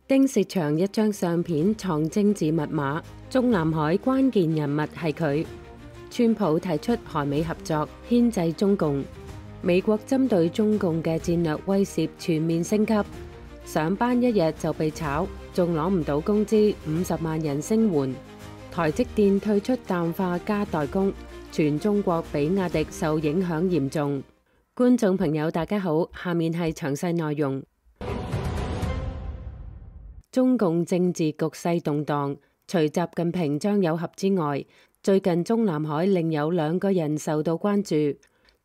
丁薛祥一張相片藏政治密碼，中南海關鍵人物係佢。川普提出韓美合作牽制中共，美國針對中共嘅戰略威懾全面升級，上班一日就被炒，仲攞唔到工資，50萬人聲援。台積電退出氮化鎵代工，全中國比亞迪受影響嚴重。觀眾朋友大家好，下面係詳細內容。中共政治局勢動盪，除習近平、張有俠之外，最近中南海另有2個人受到關注。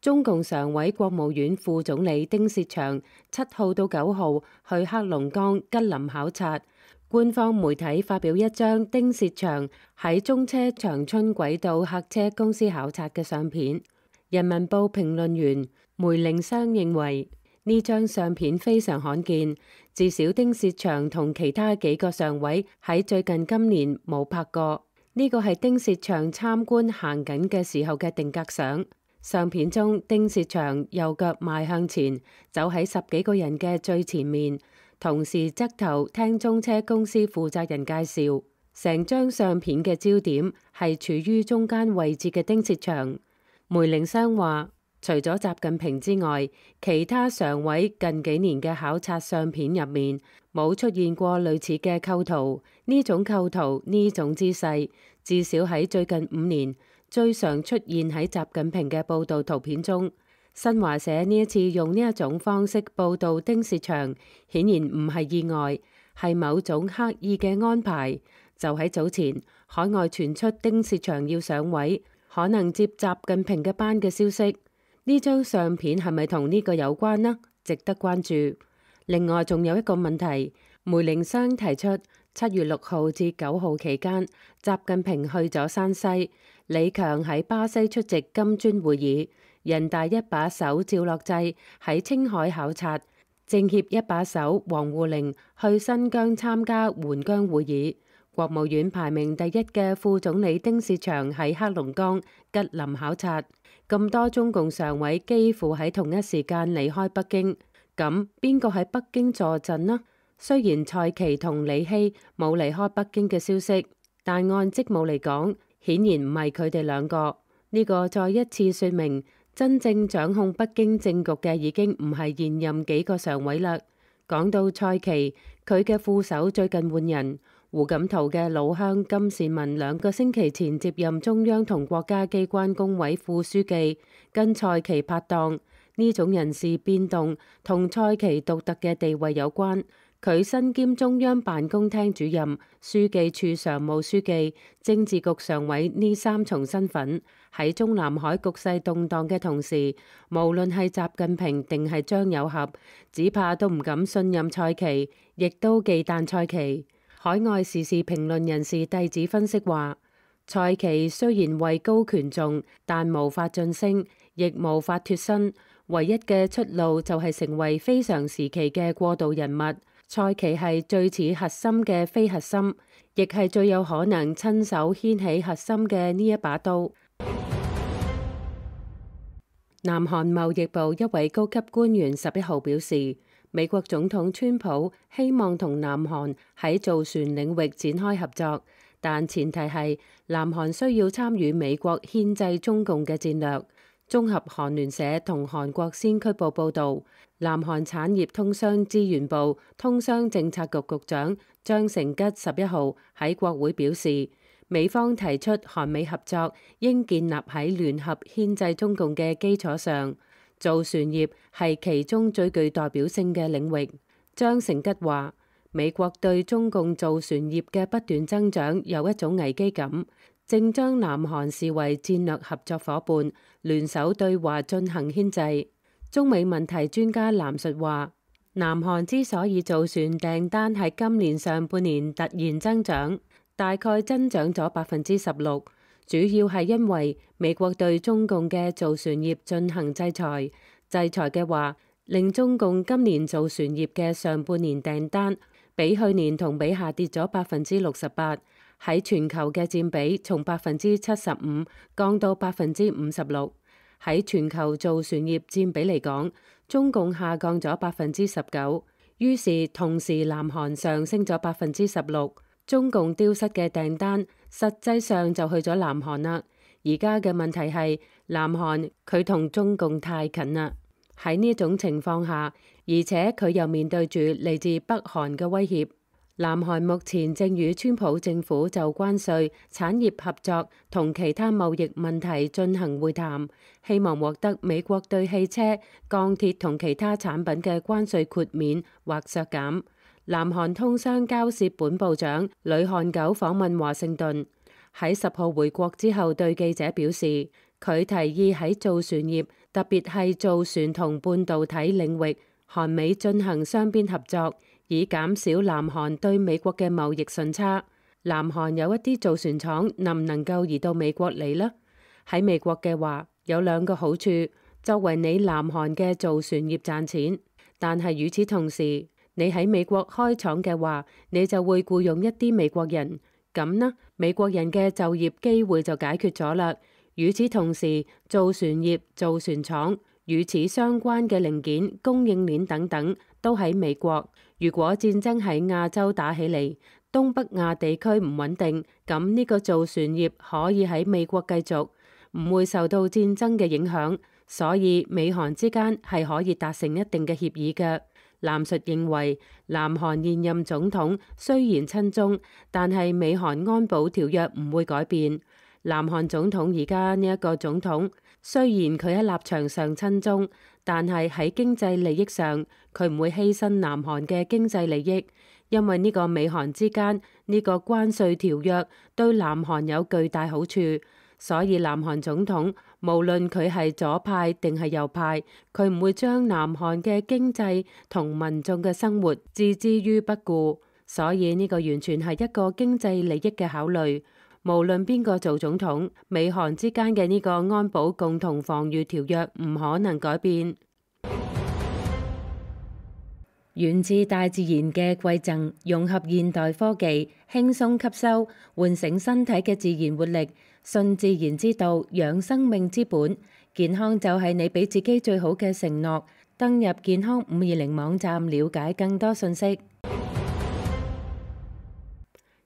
中共常委國務院副總理丁薛祥7號到9號去黑龍江吉林考察，官方媒體發表一張丁薛祥喺中車長春軌道客車公司考察嘅相片。人民報評論員梅凌湘認為，呢張相片非常罕見，至少丁薛祥同其他幾個常委喺最近今年冇拍過。呢個係丁薛祥參觀行緊嘅時候嘅定格相。相片中，丁薛祥右腳邁向前，走喺10幾個人嘅最前面，同時側頭聽中車公司負責人介紹。成張相片嘅焦點係處於中間位置嘅丁薛祥。梅凌湘話，除咗習近平之外，其他常委近幾年嘅考察相片入面冇出現過類似嘅構圖。呢種構圖，呢種姿勢，至少喺最近5年最常出現喺習近平嘅報道圖片中。新華社呢一次用呢一種方式報道丁薛祥，顯然唔係意外，係某種刻意嘅安排。就喺早前，海外傳出丁薛祥要上位，可能接習近平嘅班嘅消息。呢張相片係咪同呢個有關呢？值得關注。另外仲有一個問題，梅凌湘提出7月6號至9號期間，習近平去咗山西，李強喺巴西出席金磚會議，人大一把手趙樂際喺青海考察，政協一把手王滬寧去新疆參加援疆會議，國務院排名第1嘅副總理丁薛祥喺黑龍江吉林考察。咁多中共常委幾乎喺同一時間離開北京，咁邊個喺北京坐鎮呢？雖然蔡奇同李希冇離開北京嘅消息，但按職務嚟講，顯然唔係佢哋2個。呢個再一次說明，真正掌控北京政局嘅已經唔係現任幾個常委啦。講到蔡奇，佢嘅副手最近換人，胡錦濤嘅老鄉金善文2個星期前接任中央同國家機關工委副書記，跟蔡奇拍檔。呢種人事變動同蔡奇獨特嘅地位有關。佢身兼中央辦公廳主任、書記處常務書記、政治局常委呢3重身份，喺中南海局勢動盪嘅同時，無論係習近平定係張有俠，只怕都唔敢信任蔡奇，亦都忌憚蔡奇。海外時事評論人士弟子分析話，蔡奇雖然位高權重，但無法晉升，亦無法脫身，唯一嘅出路就係成為非常時期嘅過渡人物。蔡奇係最似核心嘅非核心，亦係最有可能親手掀起核心嘅呢一把刀。南韓貿易部一位高級官員11號表示，美國總統川普希望同南韓喺造船領域展開合作，但前提係南韓需要參與美國牽制中共嘅戰略。綜合韓聯社同韓國先驅報報導，南韓產業通商資源部通商政策局局長張成吉11號喺國會表示，美方提出韓美合作應建立喺聯合牽制中共嘅基礎上，造船業係其中最具代表性嘅領域。張成吉話，美國對中共造船業嘅不斷增長有一種危機感，正將南韓視為戰略合作夥伴，聯手對華進行牽制。中美問題專家藍述話，南韓之所以造船訂單喺今年上半年突然增長，大概增長咗16%，主要係因為美國對中共嘅造船業進行制裁。制裁嘅話，令中共今年造船業嘅上半年訂單比去年同比下跌咗68%，喺全球嘅佔比從75%降到56%。喺全球造船業佔比嚟講，中共下降咗19%，於是同時南韓上升咗16%，中共丟失嘅訂單實際上就去咗南韓啦。而家嘅問題係南韓佢同中共太近啦，喺呢種情況下，而且佢又面對住嚟自北韓嘅威脅。南韓目前正與川普政府就關稅、產業合作同其他貿易問題進行會談，希望獲得美國對汽車、鋼鐵同其他產品嘅關稅豁免或削減。南韓通商交涉本部長呂漢九訪問華盛頓，喺10號回國之後對記者表示，佢提議喺造船業，特別係造船同半導體領域，韓美進行雙邊合作，以減少南韓對美國嘅貿易順差。南韓有一啲造船廠能唔能夠移到美國嚟呢？喺美國嘅話，有2個好處，作為你南韓嘅造船業賺錢，但係與此同時，你喺美國開廠嘅話，你就會僱傭一啲美國人，咁呢，美國人嘅就業機會就解決咗啦。與此同時，造船業、造船廠與此相關嘅零件、供應鏈等等都喺美國。如果戰爭喺亞洲打起嚟，東北亞地區唔穩定，咁呢個造船業可以喺美國繼續，唔會受到戰爭嘅影響。所以美韓之間係可以達成一定嘅協議嘅。藍述認為，南韓現任總統雖然親中，但係美韓安保條約唔會改變。南韓總統而家呢一個總統，雖然佢喺立場上親中，但係喺經濟利益上，佢唔會犧牲南韓嘅經濟利益，因為呢個美韓之間呢個關稅條約對南韓有巨大好處。所以南韓總統無論佢係左派定係右派，佢唔會將南韓嘅經濟同民眾嘅生活置之於不顧。所以呢個完全係一個經濟利益嘅考慮。無論邊個做總統，美韓之間嘅呢個安保共同防禦條約唔可能改變。源自大自然嘅饋贈，融合現代科技，輕鬆吸收，喚醒身體嘅自然活力。順自然之道，養生命之本。健康就係你俾自己最好嘅承諾。登入健康520網站了解更多信息。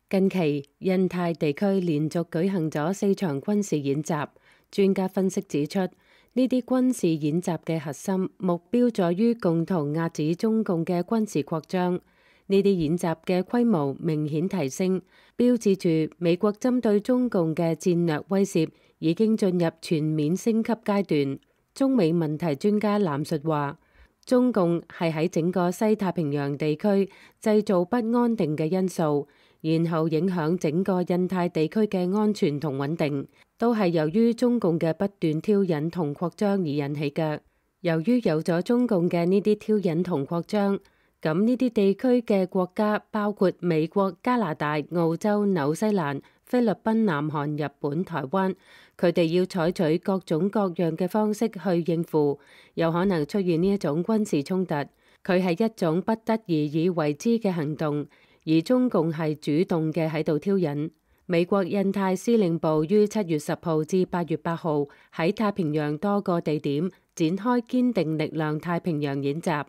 近期印太地區連續舉行咗4場軍事演習，專家分析指出，呢啲軍事演習嘅核心目標在於共同遏止中共嘅軍事擴張。呢啲演習嘅規模明顯提升，標誌住美國針對中共嘅戰略威懾已經進入全面升級階段。中美問題專家藍述話，中共係喺整個西太平洋地區製造不安定嘅因素，然後影響整個印太地區嘅安全同穩定，都係由於中共嘅不斷挑釁同擴張而引起嘅。由於有咗中共嘅呢啲挑釁同擴張，咁呢啲地區嘅國家包括美國、加拿大、澳洲、紐西蘭、菲律賓、南韓、日本、台灣，佢哋要採取各種各樣嘅方式去應付，有可能出現呢一種軍事衝突。佢係一種不得已而為之嘅行動，而中共係主動嘅喺度挑釁。美國印太司令部於7月10號至8月8號喺太平洋多個地點展開堅定力量太平洋演習，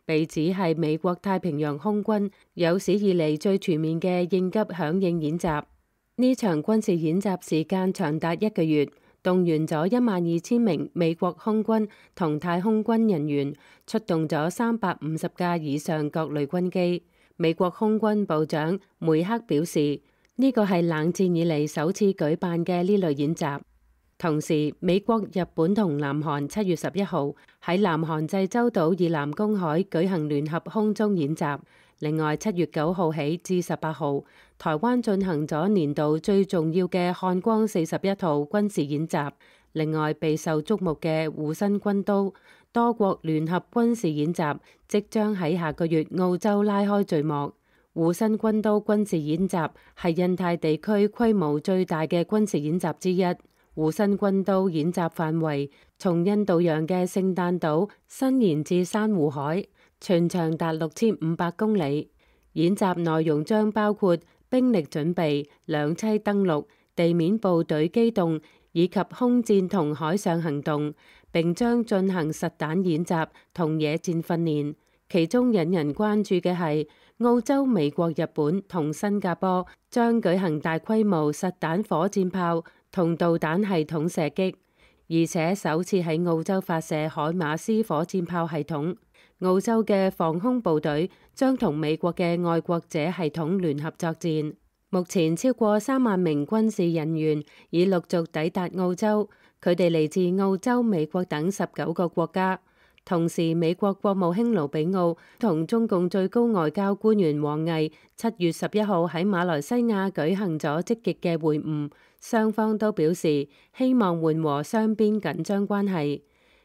被指係美國太平洋空軍有史以嚟最全面嘅應急響應演習。呢場軍事演習時間長達1個月，動員咗12000名美國空軍同太空軍人員，出動咗350架以上各類軍機。美國空軍部長梅克表示，呢個係冷戰以嚟首次舉辦嘅呢類演習。同時，美國、日本同南韓7月11號喺南韓濟州島以南公海舉行聯合空中演習。另外，7月9號起至18號，台灣進行咗年度最重要嘅漢光41號軍事演習。另外，備受矚目嘅護身軍刀多國聯合軍事演習即將喺下個月澳洲拉開序幕。護身軍刀軍事演習係印太地區規模最大嘅軍事演習之一。護身軍刀演習範圍從印度洋嘅聖誕島伸延至珊瑚海，全長達6500公里。演習內容將包括兵力準備、兩棲登陸、地面部隊機動以及空戰同海上行動，並將進行實彈演習同野戰訓練。其中引人關注嘅係澳洲、美國、日本同新加坡將舉行大規模實彈火箭炮同導彈系統射擊，而且首次喺澳洲發射海馬斯火箭炮系統。澳洲嘅防空部隊將同美國嘅愛國者系統聯合作戰。目前超過3萬名軍事人員已陸續抵達澳洲，佢哋嚟自澳洲、美國等19個國家。同時，美國國務卿盧比奧同中共最高外交官員王毅7月11號喺馬來西亞舉行咗積極嘅會晤，雙方都表示希望緩和雙邊緊張關係。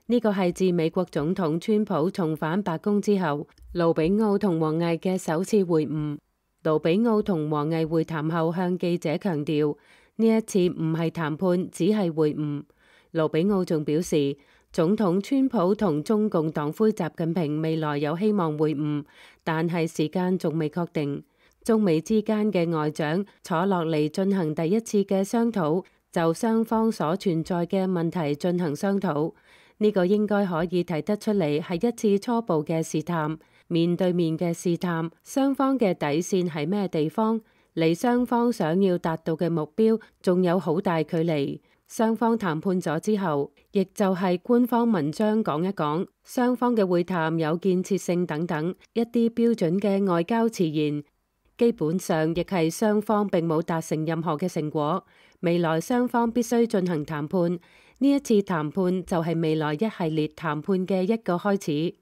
呢個係自美國總統川普重返白宮之後，盧比奧同王毅嘅首次會晤。盧比奧同王毅會談後向記者強調，呢一次唔係談判，只係會晤。盧比奧仲表示，總統川普同中共黨魁習近平未來有希望會晤，但係時間仲未確定。中美之間嘅外長坐落嚟進行第一次嘅商討，就雙方所存在嘅問題進行商討。呢個應該可以睇得出嚟係一次初步嘅試探，面對面嘅試探，雙方嘅底線係咩地方，離雙方想要達到嘅目標仲有好大距離。雙方談判咗之後，亦就係官方文章講一講，雙方嘅會談有建設性等等一啲標準嘅外交詞言，基本上亦係雙方並冇達成任何嘅成果。未來雙方必須進行談判，呢一次談判就係未來一系列談判嘅一個開始。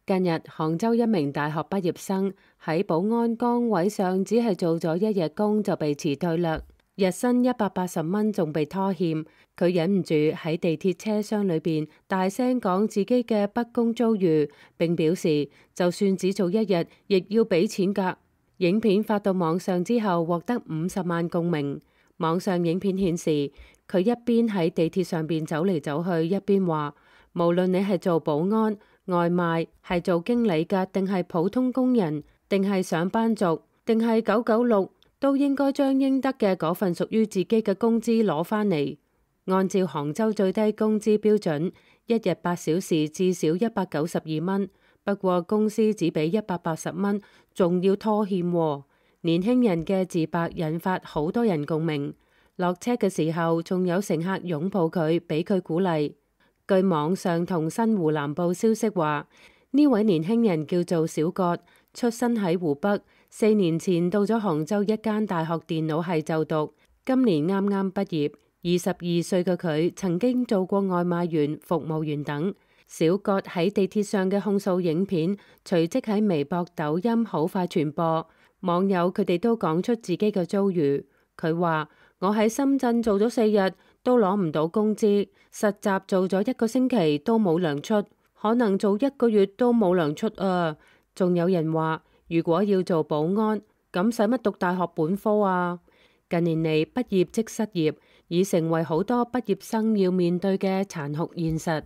近日，杭州一名大學畢業生喺保安崗位上只係做咗1日工就被辭退啦。日薪180蚊仲被拖欠，佢忍唔住喺地鐵車廂裏邊大聲講自己嘅不公遭遇，並表示就算只做1日，亦要俾錢㗎。影片發到網上之後，獲得50萬共鳴。網上影片顯示，佢一邊喺地鐵上邊走嚟走去，一邊話：無論你係做保安、外賣，係做經理㗎，定係普通工人，定係上班族，定係996。都應該將應得嘅嗰份屬於自己嘅工資攞返嚟。按照杭州最低工資標準，1日8小時至少192蚊。不過公司只俾180蚊，仲要拖欠喎。年輕人嘅自白引發好多人共鳴。落車嘅時候，仲有乘客擁抱佢，俾佢鼓勵。據網上同新湖南報消息話，呢位年輕人叫做小葛，出身喺湖北。4年前到咗杭州一間大學電腦系就讀，今年啱啱畢業。22歲嘅佢曾經做過外賣員、服務員等。小葛喺地鐵上嘅控訴影片隨即喺微博、抖音好快傳播，網友佢哋都講出自己嘅遭遇。佢話：我喺深圳做咗4日都攞唔到工資，實習做咗1個星期都冇糧出，可能做1個月都冇糧出啊！仲有人話：如果要做保安，咁使乜讀大學本科啊？近年嚟，畢業即失業，已成為好多畢業生要面對嘅殘酷現實。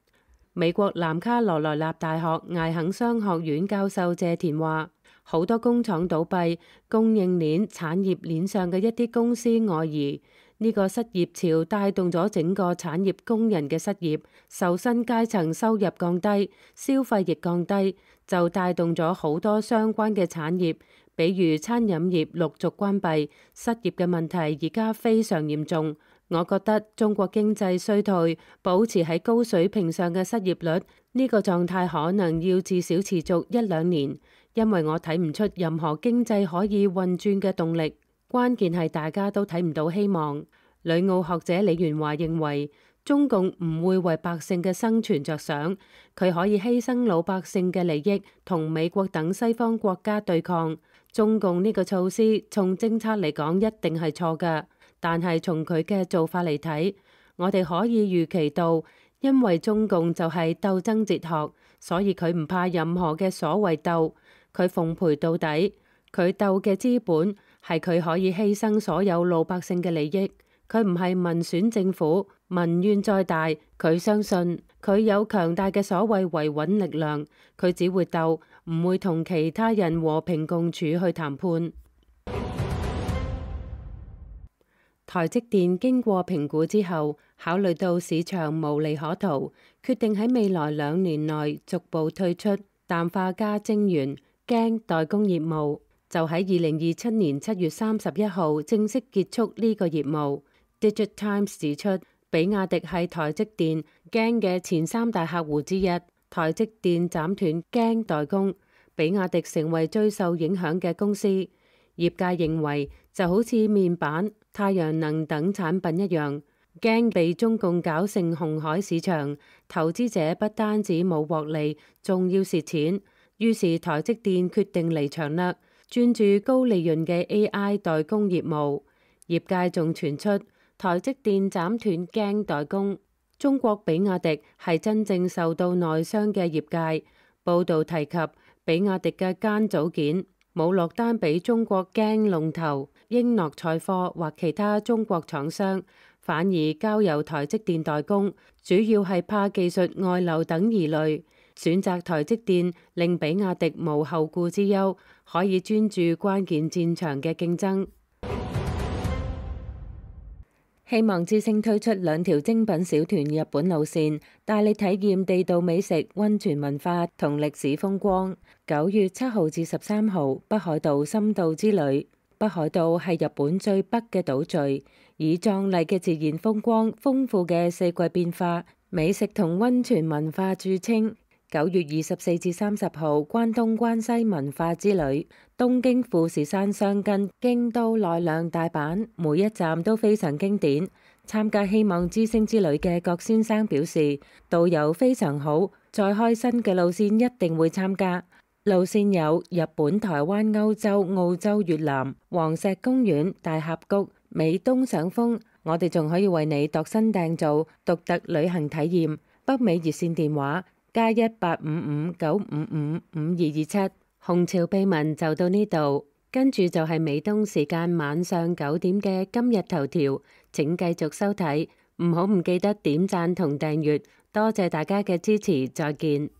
美國南卡羅來納大學艾肯商學院教授謝田話：好多工廠倒閉，供應鏈、產業鏈上嘅一啲公司外移，呢個失業潮帶動咗整個產業工人嘅失業，受薪階層收入降低，消費亦降低，就帶動咗好多相關嘅產業，比如餐飲業陸續關閉，失業嘅問題而家非常嚴重。我覺得中國經濟衰退，保持喺高水平上嘅失業率，呢個狀態可能要至少持續1-2年，因為我睇唔出任何經濟可以運轉嘅動力。關鍵係大家都睇唔到希望。旅澳學者李元華認為，中共唔會為百姓嘅生存着想，佢可以犧牲老百姓嘅利益，同美國等西方國家對抗。中共呢個措施從政策嚟講一定係錯㗎，但係從佢嘅做法嚟睇，我哋可以預期到，因為中共就係鬥爭哲學，所以佢唔怕任何嘅所謂鬥，佢奉陪到底。佢鬥嘅資本係佢可以犧牲所有老百姓嘅利益。佢唔係民選政府，民怨再大，佢相信佢有強大嘅所謂維穩力量，佢只會鬥，唔會同其他人和平共處去談判。台積電經過評估之後，考慮到市場無利可圖，決定喺未來2年內逐步退出氮化鎵晶圓鏡代工業務，就喺2027年7月31號正式結束呢個業務。Digitimes 指出，比亞迪係台積電鏡嘅前3大客戶之一，台積電斬斷鏡代工，比亞迪成為最受影響嘅公司。業界認為就好似面板、太陽能等產品一樣，鏡被中共搞成紅海市場，投資者不單止冇獲利，仲要蝕錢。於是台積電決定離場啦，專注高利潤嘅 AI 代工業務。業界仲傳出台積電斬斷鏡代工，中國比亞迪係真正受到內傷嘅業界。報道提及比亞迪嘅間組件冇落單俾中國鏡龍頭英諾賽科或其他中國廠商，反而交由台積電代工，主要係怕技術外流等疑慮。選擇台積電令比亞迪無後顧之憂，可以專注關鍵戰場嘅競爭。希望之星推出2條精品小團日本路線，帶你體驗地道美食、溫泉文化同歷史風光。9月7號至13號，北海道深度之旅。北海道係日本最北嘅島嶼，以壯麗嘅自然風光、豐富嘅四季變化、美食同溫泉文化著稱。9月24至30號，關東關西文化之旅，東京富士山箱根、京都奈良、大阪，每一站都非常經典。參加希望之星之旅嘅郭先生表示，導遊非常好，再開新嘅路線一定會參加。路線有日本、台灣、歐洲、澳洲、越南、黃石公園、大峽谷、美東賞楓。我哋仲可以為你度身訂造獨特旅行體驗。北美熱線電話+18559555227。紅潮秘聞就到呢度，跟住就係美東時間晚上9點嘅今日頭條，請繼續收睇，唔記得點讚同訂閱，多謝大家嘅支持，再見。